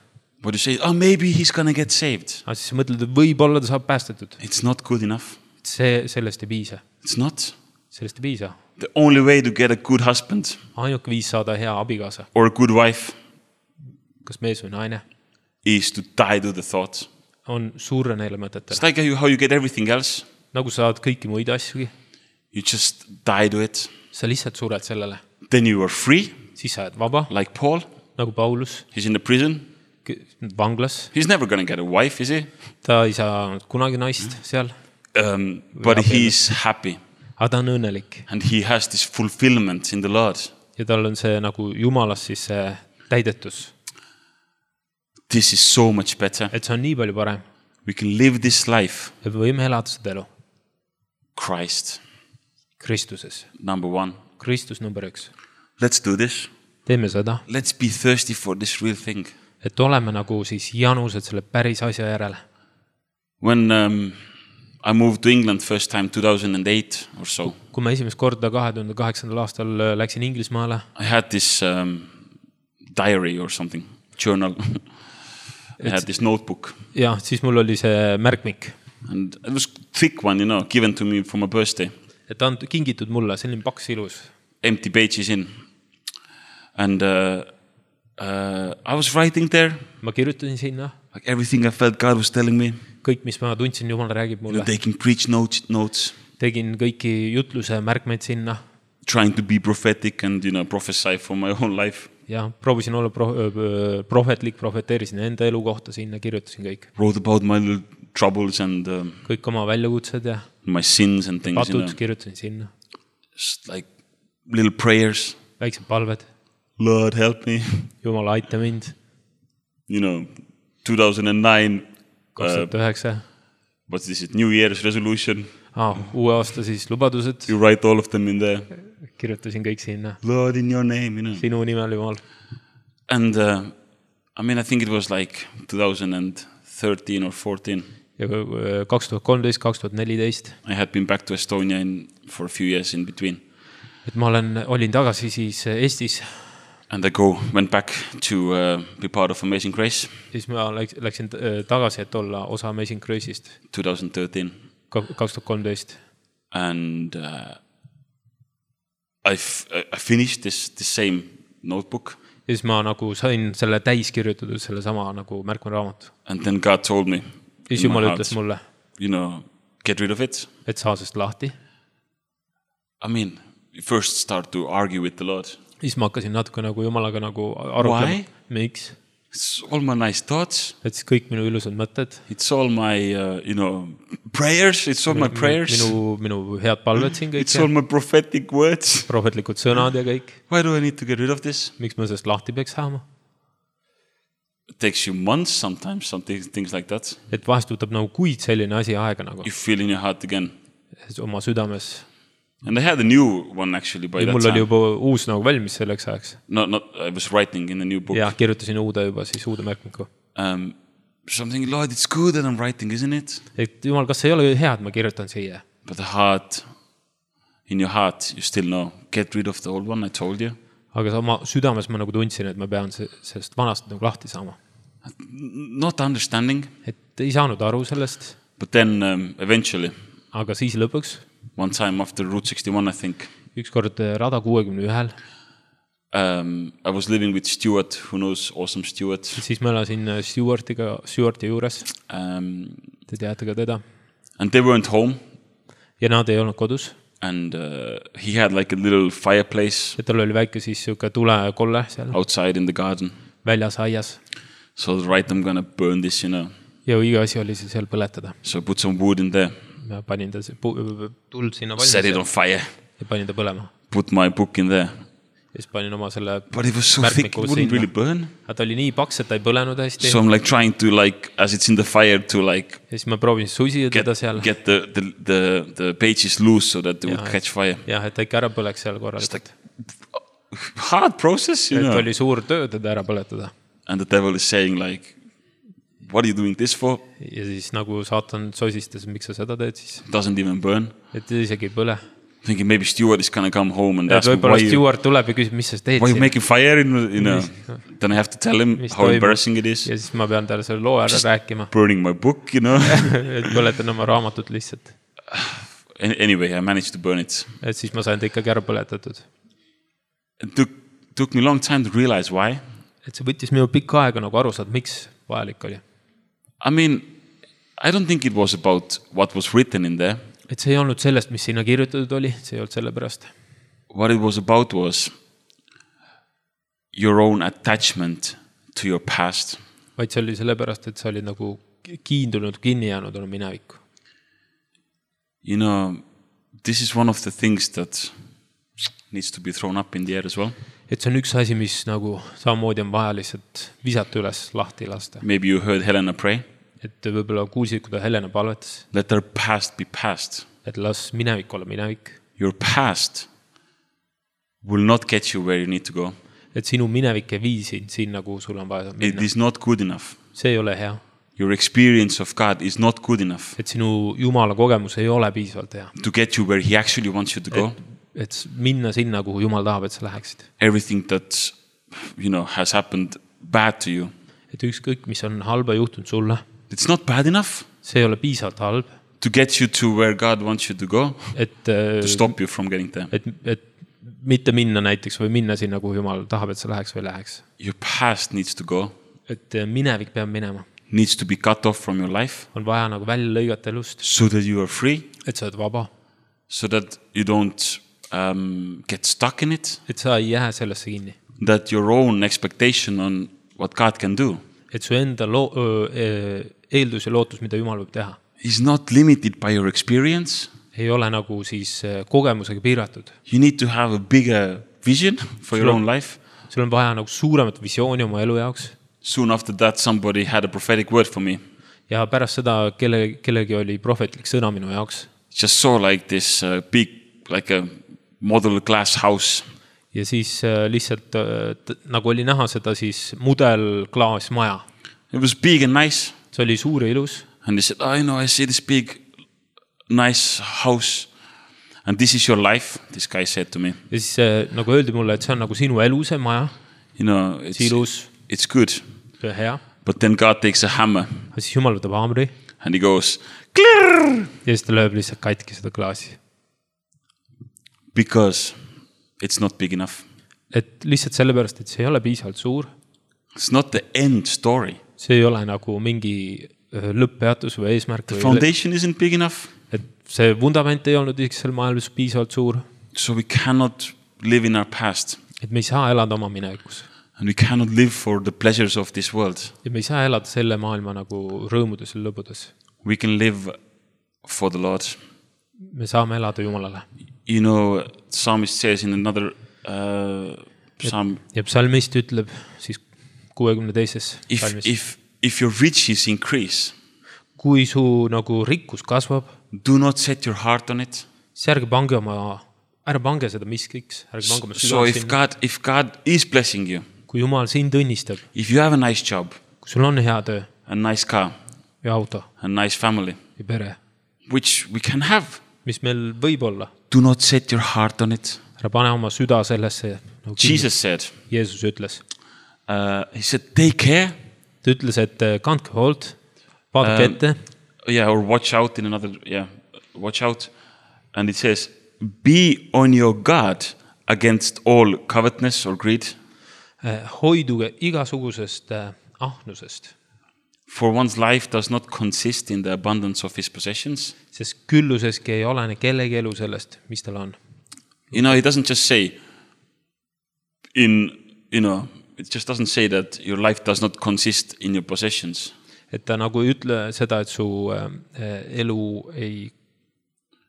But you say, oh, maybe he's going to get saved. aga siis sa mõtled, et võib-olla ta saab päästetud. It's not good enough. Sellest ei piisa. It's not. Sellest ei piisa. The only way to get a good husband Ainuke viis saada hea abikaasa, or a good wife kas mees või naine, is to die to the thought. on surre neile mõtetele. It's like how you get everything else. Nagu saad kõiki muid asjugi, You just die to it. sa lihtsalt sured sellele. Then you are free, Siis sa oled vaba, like Paul. nagu Paulus, He's in the prison. vanglas. He's never going to get a wife, is he? Ta ei saa kunagi naist seal, But he's happy. aga ta on õnnelik. And he has this fulfillment in the Lord. Ja tal on see nagu Jumalas siis see täidetus. This is so much better. Et see on nii palju parem. We can live this life. Et võime elada seda elu. Christ, Kristuses. number one. Kristus number 1. Let's do this. Teeme seda, Let's be thirsty for this real thing. et oleme nagu siis janused selle päris asja järele. When I moved to England first time 2008 or so, Kui ma esimest korda 2008. aastal läksin Inglismaale, I had this diary or something, journal. I had this notebook. ja siis mul oli see märkmik, And it was thick one, you know, given to me for my birthday. et ta on kingitud mulle, selline paks ilus. Empty pages in. And I was writing there, Ma kirjutasin sinna like everything I felt God was telling me. kõik, mis ma tundsin, Jumal räägib You know, mulle. taking preach notes, Tegin kõiki jutluse märkmeid sinna trying to be prophetic and, you know, prophesy for my own life. ja proovisin olla prohvetlik, profeteerisin enda elu kohta sinna, kirjutasin kõik. Wrote about my little troubles and Kõik oma väljakutsed ja my sins and things, you patud know. kirjutasin sinna. Just like little prayers. Väiksed palved. Lord, help me. Jumal, aita mind. You know, 2009, 2009. what's this, New Year's resolution. Uue aasta siis lubadused. You write all of them in there. Kirjutasin kõik sinna. Lord, in your name, you know. Sinu nimel, Jumal. And I mean, I think it was like 2013 or 14. Ja 2013, 2014. I had been back to Estonia for a few years in between. Et ma olin tagasi siis Eestis. And I went back to be part of Amazing Grace. Siis ma läksin tagasi, et olla osa Amazing Grace'ist. 2013. 2013. And I finished this same notebook. Ja siis ma nagu sain selle täis kirjutatud, selle sama nagu märkmeraamatu. And then God told me, Siis Jumal ütles mulle, you know, get rid of it. et saa sest lahti. I mean, you first start to argue with the Lord. Siis ma hakkasin natuke nagu Jumalaga nagu arutlema. Why? Miks? It's all my nice thoughts. Et siis kõik minu ilusad mõtted. It's all my, you know, prayers. It's all my prayers. Minu head palved siin kõik. It's all my prophetic words. Prohvetlikud sõnad ja kõik. Why do I need to get rid of this? Miks ma sellest lahti peaks saama? It takes you months sometimes, some things like that. Et vahest võtab nagu kuid selline asi aega nagu. You feel in your heart again. Oma südames. And I had a new one actually by Ja that mul oli time. juba uus nagu valmis selleks ajaks. I was writing in a new book. Ja kirjutasin juba siis uude märkmiku. Something, Lord, it's good that I'm writing, isn't it? Et Jumal, kas ei ole hea, et ma kirjutan siia? But the heart, in your heart, you still know, get rid of the old one, I told you. Aga oma südames ma nagu tundsin, et ma pean sellest vanast nagu lahti saama. Not understanding. Et ei saanud aru sellest. But then eventually, Aga siis lõpuks, one time after Route 61, I think, ükskord rada 61, I was living with Stuart, who knows Awesome Stuart. siis ma elasin Stuarti juures. Te teate ka teda. And they weren't home. Ja nad ei olnud kodus. And he had like a little fireplace. Ja tal oli väike siis siuke tulekolle seal. Outside in the garden. Väljas aias. So right, I'm gonna burn this, you know. Ja õige asi oli see seal põletada. So I put some wood in there. Ma panin ta tuld sinna valmis. Set it on fire. Ja panin ta põlema. Put my book in there. Ja siis panin oma selle But it was so thick, it wouldn't really burn. Aga ta oli nii paks, et ta ei põlenud hästi. So I'm like trying to like, as it's in the fire, to like Ja siis ma proovin susida teda seal. get the pages loose so that they would catch fire. Jah, et ta ikka ära põleks seal korralikult. Hard process, you Et know. oli suur töö teda ära põletada. And the devil is saying like, what are you doing this for? Ja siis nagu saatan sosistas, miks sa seda teed siis. Doesn't even burn. Et isegi ei põle. Thinking maybe Stuart is gonna come home and Et ask me võibolla Stuart tuleb ja küsib, mis sa teed why you siin. making fire, you know. Then I have to tell him how embarrassing it is. Ja siis ma pean talle selle loo ära rääkima. Burning my book, you know. Et põletan oma raamatut lihtsalt. Anyway, I managed to burn it. Et siis ma sain ta ikkagi ära põletatud. It took me a long time to realize why. Et see võttis minu pikka aega nagu aru saada, miks vajalik oli. I mean, I don't think it was about what was written in there. Et see ei olnud sellest, mis sinna kirjutatud oli, see ei olnud selle pärast. What it was about was your own attachment to your past. Vaid see oli selle pärast, et sa olid nagu kiindunud, kinni jäänud oma minevikku. You know, this is one of the things that needs to be thrown up in the air as well. Et see on üks asi, mis nagu samamoodi on vaja lihtsalt visata üles, lahti lasta. Maybe you heard Helena pray. Et võibolla kuulsid, kui ta Helena palvetas. Let their past be past. Et las minevik olla minevik. Your past will not get you where you need to go. Et sinu minevik ei vii sind sinna, kuhu sul on vaja minna. It is not good enough. See ei ole hea. Your experience of God is not good enough. Et sinu Jumala kogemus ei ole piisavalt hea. To get you where he actually wants you to go. Et minna sinna, kuhu Jumal tahab, et sa läheksid. Everything that, you know, has happened bad to you. Et ükskõik, mis on halba juhtunud sulle. It's not bad enough. See ei ole piisavalt halb. To get you to where God wants you to go. Et, to stop you from getting there. Et mitte minna näiteks või minna sinna, kuhu Jumal tahab, et sa läheks või läheks. Your past needs to go. Et minevik peab minema. Needs to be cut off from your life. On vaja nagu välja lõigata elust. So that you are free. Et sa oled vaba. So that you don't get stuck in it. Et sa ei jää sellesse kinni. That your own expectation on what God can do. Et su enda eeldus ja lootus, mida Jumal võib teha. Is not limited by your experience. Ei ole nagu siis kogemusega piiratud. You need to have a bigger vision for your own life. Sul on vaja nagu suuremat visiooni oma elu jaoks. Soon after that somebody had a prophetic word for me. Ja pärast seda kellegi oli prohvetlik sõna minu jaoks. Just saw like this big, like a model glass house. Ja siis lihtsalt nagu oli näha seda siis mudelklaasmaja. It was big and nice. See oli suur ja ilus. And they said, I know, I see this big, nice house. And this is your life, this guy said to me. Ja siis nagu öeldi mulle, et see on nagu sinu elu, see maja. You know, it's good. Hea. But then God takes a hammer. Ja siis Jumal võtab haamri. And he goes, Klirr! Ja siis ta lööb lihtsalt katki seda klaasi. Because it's not big enough. Et lihtsalt sellepärast, et see ei ole piisavalt suur. It's not the end story. See ei ole nagu mingi lõpppeatus või eesmärk. The foundation isn't big enough. Et see vundament ei olnud seal maailmas piisavalt suur. So we cannot live in our past. Et me ei saa elada oma minevikus. And we cannot live for the pleasures of this world. Ja me ei saa elada selle maailma nagu rõõmudes ja lõbudes. We can live for the Lord. Me saame elada Jumalale. You know, psalmist says in another psalm. Ja psalmist ütleb siis 62. If your riches increase. Kui su nagu rikkus kasvab. Do not set your heart on it. Siis ärge pange seda miskiks. So if God is blessing you. Kui Jumal sind õnnistab. If you have a nice job. Kui sul on hea töö. A nice car. Ja auto. A nice family. Ja pere. Which we can have. Mis meil võib olla. Do not set your heart on it. Ära pane oma süda sellesse. Nagu Jesus said. Jeesus ütles. He said, take care. Ta ütles, et kandke hoolt. Vaadake ette. Yeah, or watch out in another, watch out. And it says, be on your guard against all covetousness or greed. Hoiduge igasugusest ahnusest. For one's life does not consist in the abundance of his possessions. Sest külluseski ei olene kellegi elu sellest, mis tal on. You know, he doesn't just say it just doesn't say that your life does not consist in your possessions. Et ta nagu ei ütle seda, et su elu ei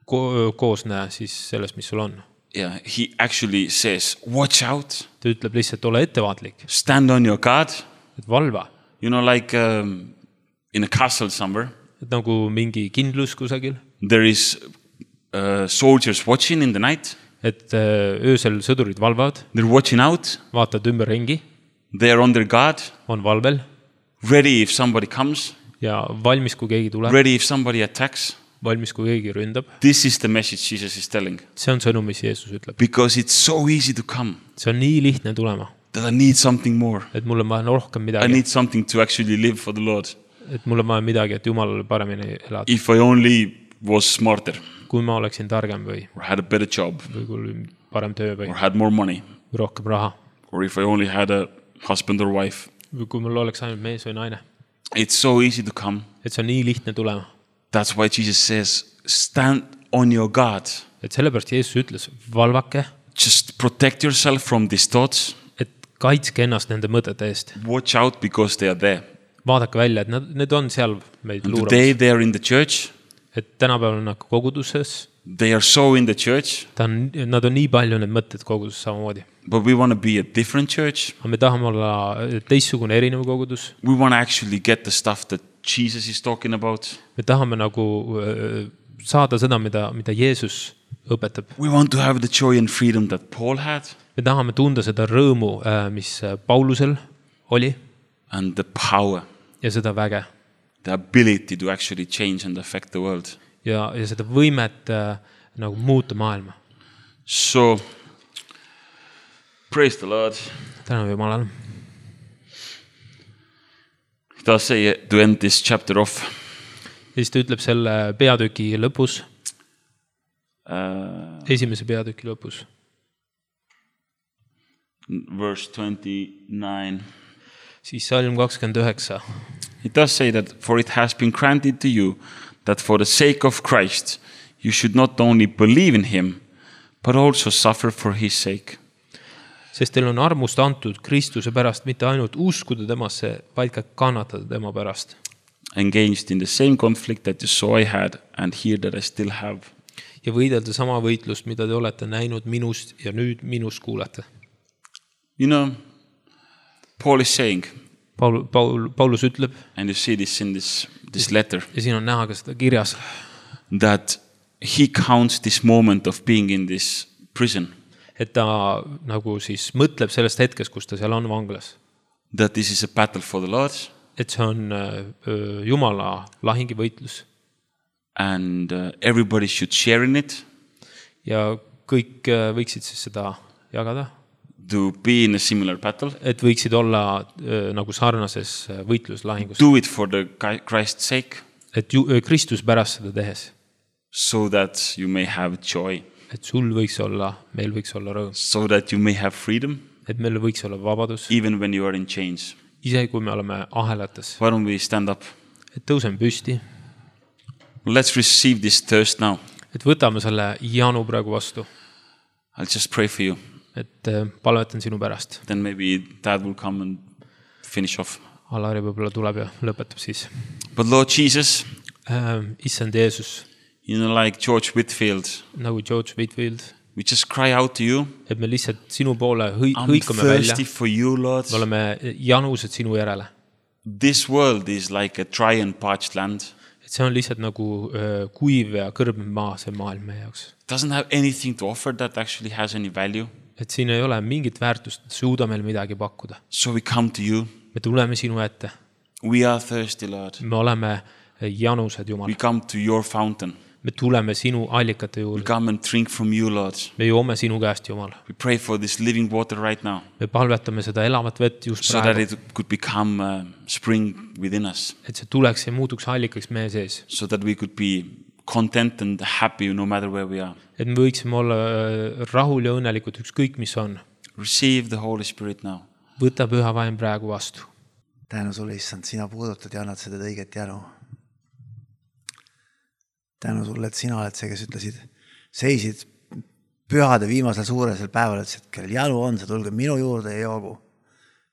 koosne siis sellest, mis sul on. Yeah, he actually says, watch out, ta ütleb lihtsalt, ole ettevaatlik, stand on your guard. et valva. You know, like in a castle somewhere, Et nagu mingi kindlus kusagil, there is soldiers watching in the night. et öösel sõdurid valvavad, They're watching out. vaatavad ümberringi, They are on their guard, on valvel ready if somebody comes, ja valmis, kui keegi tuleb, ready if somebody attacks. valmis, kui keegi ründab. This is the message Jesus is telling. See on sõnum, mis Jeesus ütleb. Because it's so easy to come, See on nii lihtne tulema, that I need something more. et mul on vaja rohkem I midagi, need something to actually live for the Lord. et mul on vaja midagi, et Jumalale paremini elada. If I only was smarter, Kui ma oleksin targem või or had a better job, kui parem töö või or had more money, rohkem raha or if I only had a husband or wife. või kui mul oleks ainult mees või naine. It's so easy to come. Et see on nii lihtne tulema. That's why Jesus says, stand on your guard. Et sellepärast Jeesus ütles, valvake, Just protect yourself from these thoughts. et kaitske ennast nende mõtete eest. Watch out because they are there. Vaadake välja, et need on seal meid And luuramas. today they are in the church. Et tänapäeval on nad koguduses, They are so in the church. nad on nii palju need mõtted koguduses samamoodi. But we want to be a different church. Aga me tahame olla teistsugune erinev kogudus. We want to actually get the stuff that Jesus is talking about. Me tahame nagu saada seda, mida Jeesus õpetab. We want to have the joy and freedom that Paul had. Me tahame tunda seda rõõmu, mis Paulusel oli And the power, ja seda väge. the ability to actually change and affect the world. Ja seda võimet nagu muuta maailma. So, praise the Lord. Tänu Jumalale. He does say to end this chapter off. Ja siis ta ütleb selle peatüki lõpus, esimese peatüki lõpus, Verse 29. siis salm 29. He does say that, for it has been granted to you that for the sake of Christ you should not only believe in him, but also suffer for his sake. Sest teil on armust antud Kristuse pärast mitte ainult uskuda temasse, vaid ka kannatada tema pärast. Engaged in the same conflict that you saw I had and hear that I still have. Ja võidelda sama võitlust, mida te olete näinud minust ja nüüd minust kuulete. You know, Paul is saying, Paulus ütleb, and you see this in this letter, ja siin on näha ka seda kirjas, that he counts this moment of being in this prison, et ta nagu siis mõtleb sellest hetkest, kus ta seal on vanglas. that this is a battle for the Lord, Et see on Jumala lahingi võitlus and everybody should share in it, ja kõik võiksid siis seda jagada, to be in a similar battle. et võiksid olla nagu sarnases võitluslahingus, Do it for the Christ's sake, et Kristus pärast seda tehes, so that you may have joy, et sul võiks olla, meil võiks olla rõõm, so that you may have freedom, et meil võiks olla vabadus, even when you are in chains. isegi kui me oleme ahelates, Why don't we stand up? et tõuseme püsti, Let's receive this thirst now. et võtame selle janu praegu vastu, I'll just pray for you. et palvetan sinu pärast. Then maybe Dad will come and finish off. Alari võib-olla tuleb ja lõpetab siis. But Lord Jesus, Issand Jeesus, you know, like George Whitfield, nagu George Whitfield, we just cry out to you. et me lihtsalt sinu poole I'm hõikame välja, thirsty for you, Lord. me oleme janused sinu järele. This world is like a dry and parched land. Et see on lihtsalt nagu kuiv ja kõrbev maa, see maailm meie jaoks. Doesn't have anything to offer that actually has any value. Et siin ei ole mingit väärtust, et suuda meil midagi pakkuda. So we come to you. Me tuleme sinu ette. We are thirsty, Lord. Me oleme janused, Jumal. We come to your fountain. Me tuleme sinu allikate We juurde. come and drink from you, Lord. Me joome sinu käest, Jumal. We pray for this living water right now, Me palvetame seda elavat vett just so that praegu, it could become a spring within us, et see tuleks ja muutuks allikaks meie sees. so that we could be content and happy no matter where we are. Et me võiksime olla rahul ja õnnelikud ükskõik, mis on. Receive the Holy Spirit now. Võta püha vaim praegu vastu. Tänu sulle, issand, sina puudutad ja annad seda õiget janu. Tänu sulle, et sina oled see, kes ütlesid, seisid pühade viimasel suuresel päeval, et kellel janu on, see tulge minu juurde ja joogu.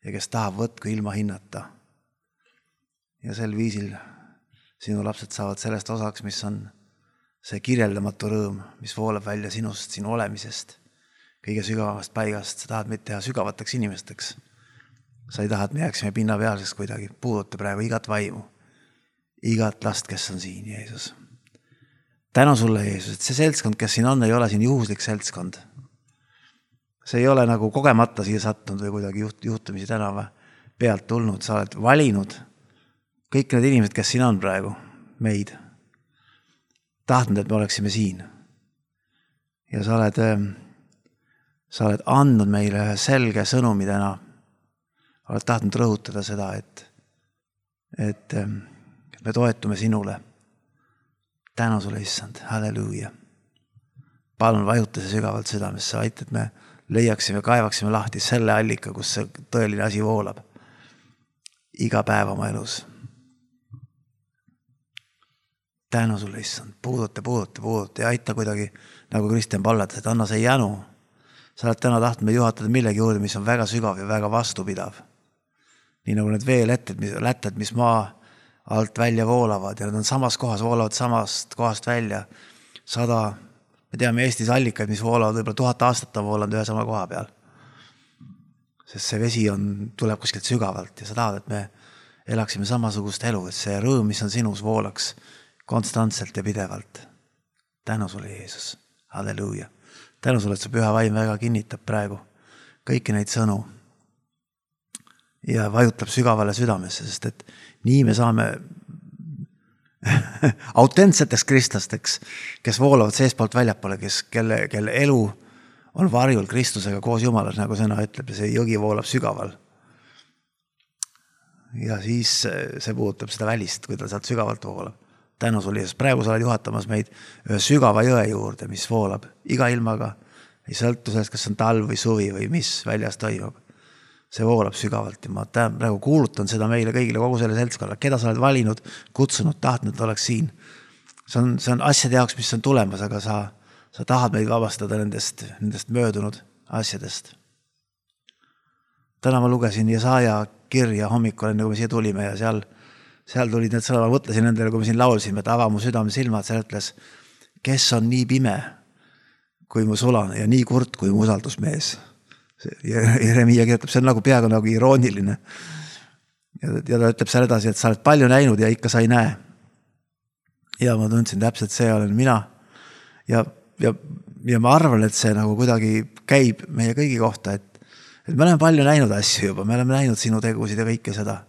Ja kes tahab, võtku ilma hinnata. Ja sel viisil sinu lapsed saavad sellest osaks, mis on see kirjeldamatu rõõm, mis voolab välja sinust, sinu olemisest. kõige sügavamast paigast, sa tahad meid teha sügavateks inimesteks. Sa ei taha, et me jääksime pinnapealseks kuidagi, puuduta praegu igat vaimu, igat last, kes on siin, Jeesus. Tänu sulle, Jeesus, et see seltskond, kes siin on, ei ole siin juhuslik seltskond. See ei ole nagu kogemata siia sattunud või kuidagi juhtumisi tänava pealt tulnud, sa oled valinud kõik need inimesed, kes siin on praegu, meid. Tahtnud, et me oleksime siin. Ja sa oled andnud meile selge sõnumi täna. Oled tahtnud rõhutada seda, et me toetume sinule. Tänu sulle, issand. Halleluuja. Palun vajuta see sügavalt südamesse, aita, et me leiaksime, kaevaksime lahti selle allika, kus see tõeline asi voolab. Iga päev oma elus. Tänu sulle, issand. Puuduta ja aita kuidagi, nagu Kristjan palvetas, et anna see jänu. Sa oled täna tahtnud meid juhatada millegi juurde, mis on väga sügav ja väga vastupidav. Nii nagu need veelätted, mis maa alt välja voolavad ja nad on samas kohas, voolavad samast kohast välja. 100, me teame Eestis allikaid, mis voolavad, võib-olla 1000 aastat on voolanud ühe sama koha peal. Sest see vesi tuleb kuskilt sügavalt ja sa tahad, et me elaksime samasugust elu, et see rõõm, mis on sinus, voolaks konstantselt ja pidevalt. Tänu sulle, Jeesus. Halleluuja. Tänu sulle, et su püha vaim väga kinnitab praegu kõiki neid sõnu ja vajutab sügavale südamesse, sest et nii me saame autentseteks kristlasteks, kes voolavad seespoolt väljapoole, kelle elu on varjul Kristusega koos Jumalas, nagu sõna ütleb, ja see jõgi voolab sügaval. Ja siis see puudutab seda välist, kui ta sealt sügavalt voolab. Tänu sulle, Jeesus. Praegu sa oled juhatamas meid ühe sügava jõe juurde, mis voolab iga ilmaga. Ei sõltu sellest, kas on talv või suvi või mis väljas toimub. See voolab sügavalt ja ma praegu kuulutan seda meile kõigile, kogu selle seltskonna, keda sa oled valinud, kutsunud, tahtnud, et oleks siin. See on asjade jaoks, mis on tulemas, aga sa tahad meid vabastada nendest möödunud asjadest. Täna ma lugesin Jesaja kirja hommikul, enne kui me siia tulime ja seal tulid need sõnad, ma mõtlesin nendele, kui me siin laulsime, et ava mu südame silmad, seal ütles, kes on nii pime kui mu sulane ja nii kurt kui mu usaldusmees. Jeremia kirjutab, see on nagu peaaegu nagu irooniline. Ja ta ütleb seal edasi, et sa oled palju näinud ja ikka sa ei näe. Ja ma tundsin täpselt, see olen mina. Ja ma arvan, et see nagu kuidagi käib meie kõigi kohta, et me oleme palju näinud asju juba, me oleme näinud sinu tegusid ja kõike seda.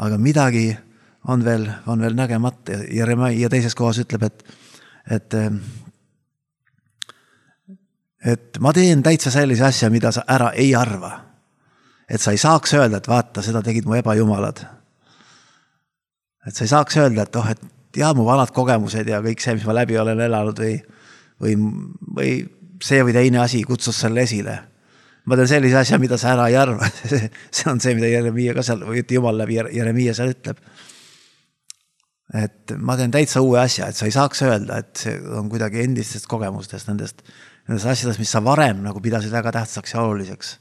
Aga midagi on veel nägemata. Ja teises kohas ütleb, et ma teen täitsa sellise asja, mida sa ära ei arva. Et sa ei saaks öelda, et vaata, seda tegid mu ebajumalad. Et sa ei saaks öelda, et mu vanad kogemused ja kõik see, mis ma läbi olen elanud või see või teine asi kutsus selle esile. Ma teen sellise asja, mida sa ära ei arva. See on see, mida Jeremia ka seal, või Jumal läbi Jeremia seal ütleb. Et ma teen täitsa uue asja, et sa ei saaks öelda, et see on kuidagi endistest kogemustest, nendest asjadest, mis sa varem nagu pidasid väga tähtsaks ja oluliseks.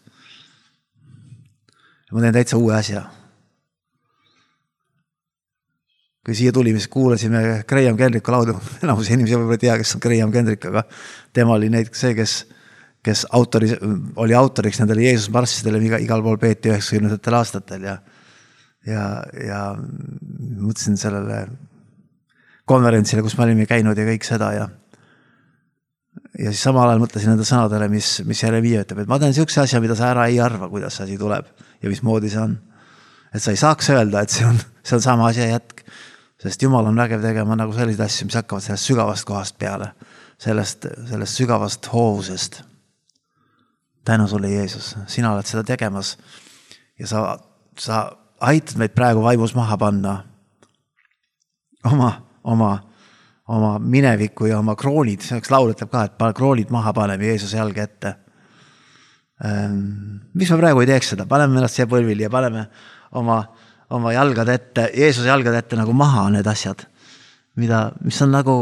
Ma teen täitsa uue asja. Kui siia tuli, mis kuulasime Graham Kendricku laudu, enamus inimesi võib-olla tea, kes on Graham Kendrick, aga tema oli see, kes oli autoriks nendele Jeesus marssidele, igal pool peeti 90. aastatel ja mõtlesin sellele konverentsile, kus me olime käinud ja kõik seda ja siis samal ajal mõtlesin nende sõnadele, mis Jeremia ütleb, et ma teen siukse asja, mida sa ära ei arva, kuidas see asi tuleb ja mismoodi see on. Et sa ei saaks öelda, et see on sama asja jätk, sest Jumal on vägev tegema nagu selliseid asju, mis hakkavad sellest sügavast kohast peale, sellest sügavast hoovusest. Tänu sulle, Jeesus, sina oled seda tegemas ja sa aitad meid praegu vaimus maha panna oma mineviku ja oma kroonid, selleks laul ütleb ka, et kroonid maha paneme Jeesuse jalge ette. Mis me praegu ei teeks seda? Paneme ennast siia põlvili ja paneme oma jalgad ette, Jeesuse jalgad ette nagu maha need asjad, mis on nagu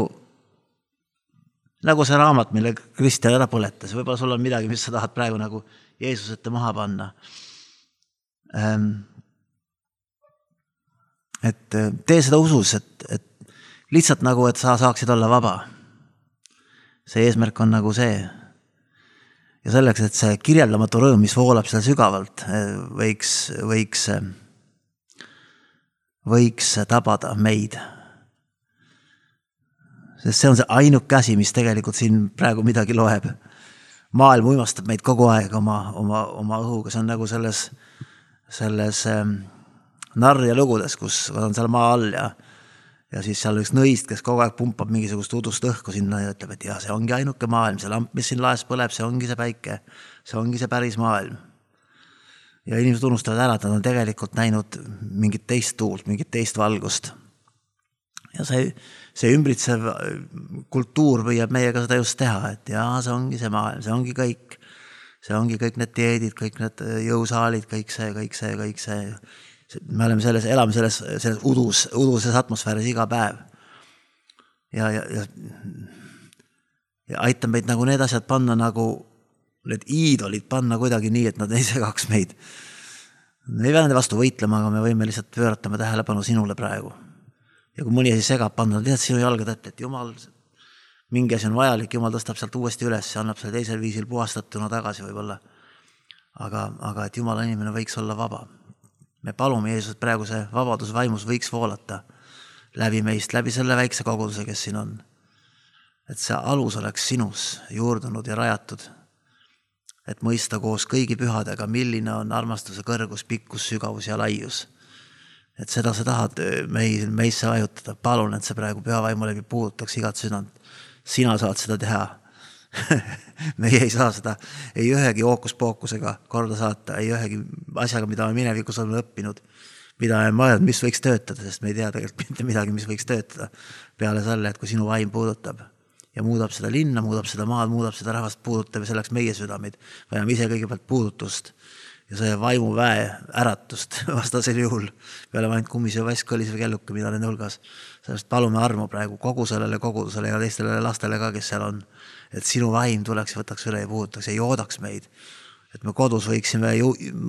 see raamat, mille Kristjan ära põletas. Võib-olla sul on midagi, mis sa tahad praegu nagu Jeesus ette maha panna. Et tee seda usus, et lihtsalt nagu, et sa saaksid olla vaba. See eesmärk on nagu see. ja selleks, et see kirjeldamatu rõõm, mis voolab seal sügavalt, võiks tabada meid. Sest see on see ainuke asi, mis tegelikult siin praegu midagi loeb. Maailm uimastab meid kogu aeg oma õhuga, see on nagu selles narja lugudes, kus on seal maa all ja siis seal üks nõist, kes kogu aeg pumpab mingisugust udust õhku sinna ja ütleb, et jah, see ongi ainuke maailm, see lamp, mis siin laes põleb, see ongi see päike, see ongi see päris maailm. Ja inimesed unustavad ära, et nad on tegelikult näinud mingit teist tuult, mingit teist valgust. Ja see ümbritsev kultuur püüab meiega seda just teha, et jaa, see ongi see maailm, see ongi kõik. See ongi kõik need dieedid, kõik need jõusaalid, kõik see. Me elame selles uduses atmosfääris iga päev. Ja aitab meid nagu need asjad panna nagu, need iidolid panna kuidagi nii, et nad ei segaks meid. Me ei pea nende vastu võitlema, aga me võime lihtsalt pööratama tähelepanu sinule praegu. Ja kui mõni asi segab panna, lihtsalt sinu jalga täpselt, et Jumal, mingi asi on vajalik, Jumal tõstab sealt uuesti üles ja annab selle teisel viisil puhastatuna tagasi võib-olla. Aga et Jumala inimene võiks olla vaba. Me palume Jeesus, et praegu see vabadus vaimus võiks voolata läbi meist, läbi selle väikse koguduse, kes siin on. Et see alus oleks sinus juurdunud ja rajatud, et mõista koos kõigi pühadega, milline on armastuse kõrgus, pikkus, sügavus ja laius. Et seda sa tahad meisse vajutada. Palun, et see praegu püha vaimu läbi puudutaks igat südant. Sina saad seda teha. Meie ei saa seda ei ühegi ookuspookusega korda saata, ei ühegi asjaga, mida me minevikus oleme õppinud, mida me mõelnud, mis võiks töötada, sest me ei tea tegelikult mitte midagi, mis võiks töötada peale selle, et kui sinu vaim puudutab ja muudab seda linna, muudab seda maad, muudab seda rahvast, puudutab ja selleks meie südamid. Vajame ise kõigepealt puudutust ja see vaimu väe äratust vastasel juhul. Peale ainult kummis ja vask kõlis või kelluke, mida nende hulgas. Sellest palume armu praegu kogu sellele kogudusele ja teistele lastele ka, kes seal on. Et sinu vaim tuleks ja võtaks üle ja puudutaks ja joodaks meid. Et me kodus võiksime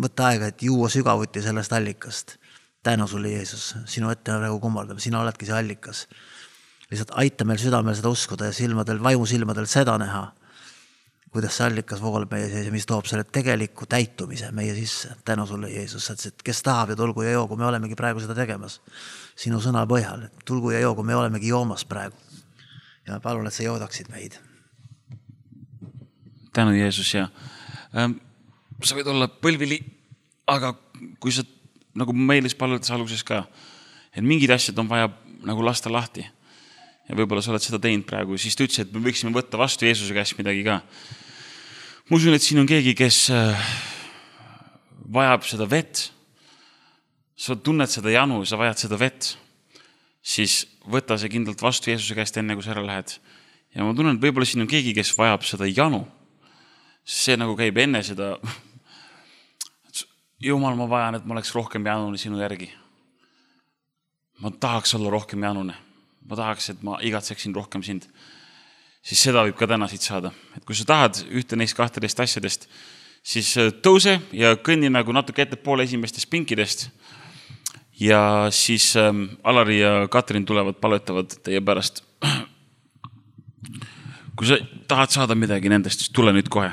võtta aega, et juua sügavuti sellest allikast. Tänu sulle, Jeesus. Sinu ette me praegu kummardame. Sina oledki see allikas. Lihtsalt aita meil südamel seda uskuda ja silmadel, vaimu silmadel seda näha, kuidas see allikas voolab meie sees ja mis toob selle tegeliku täitumise meie sisse. Tänu sulle, Jeesus. Et kes tahab ja tulgu ja joogu, me olemegi praegu seda tegemas. Sinu sõna põhjal. Tulgu ja joogu, me olemegi joomas praegu. Ja palun, et sa joodaksid meid. Tänu, Jeesus, ja sa võid olla põlvili, aga kui sa, nagu meilis palvetas alguses ka, et mingid asjad on vaja nagu lasta lahti ja võib-olla sa oled seda teinud praegu, siis ta ütles, et me võiksime võtta vastu Jeesuse käest midagi ka. Ma usun, et siin on keegi, kes vajab seda vett, sa tunned seda janu, sa vajad seda vett, siis võta see kindlalt vastu Jeesuse käest enne, kui sa ära lähed. Ja ma tunnen, et võib-olla siin on keegi, kes vajab seda janu. See nagu käib enne seda, Jumal, ma vajan, et ma oleks rohkem janune sinu järgi. Ma tahaks olla rohkem janune. Ma tahaks, et ma igatseksin rohkem sind. Siis seda võib ka täna siit saada. Et kui sa tahad ühte neist 12 asjadest, siis tõuse ja kõnni nagu natuke ette poole esimestest pinkidest. Ja siis Alari ja Katrin tulevad, palvetavad teie pärast. Kui sa tahad saada midagi nendest, siis tule nüüd kohe.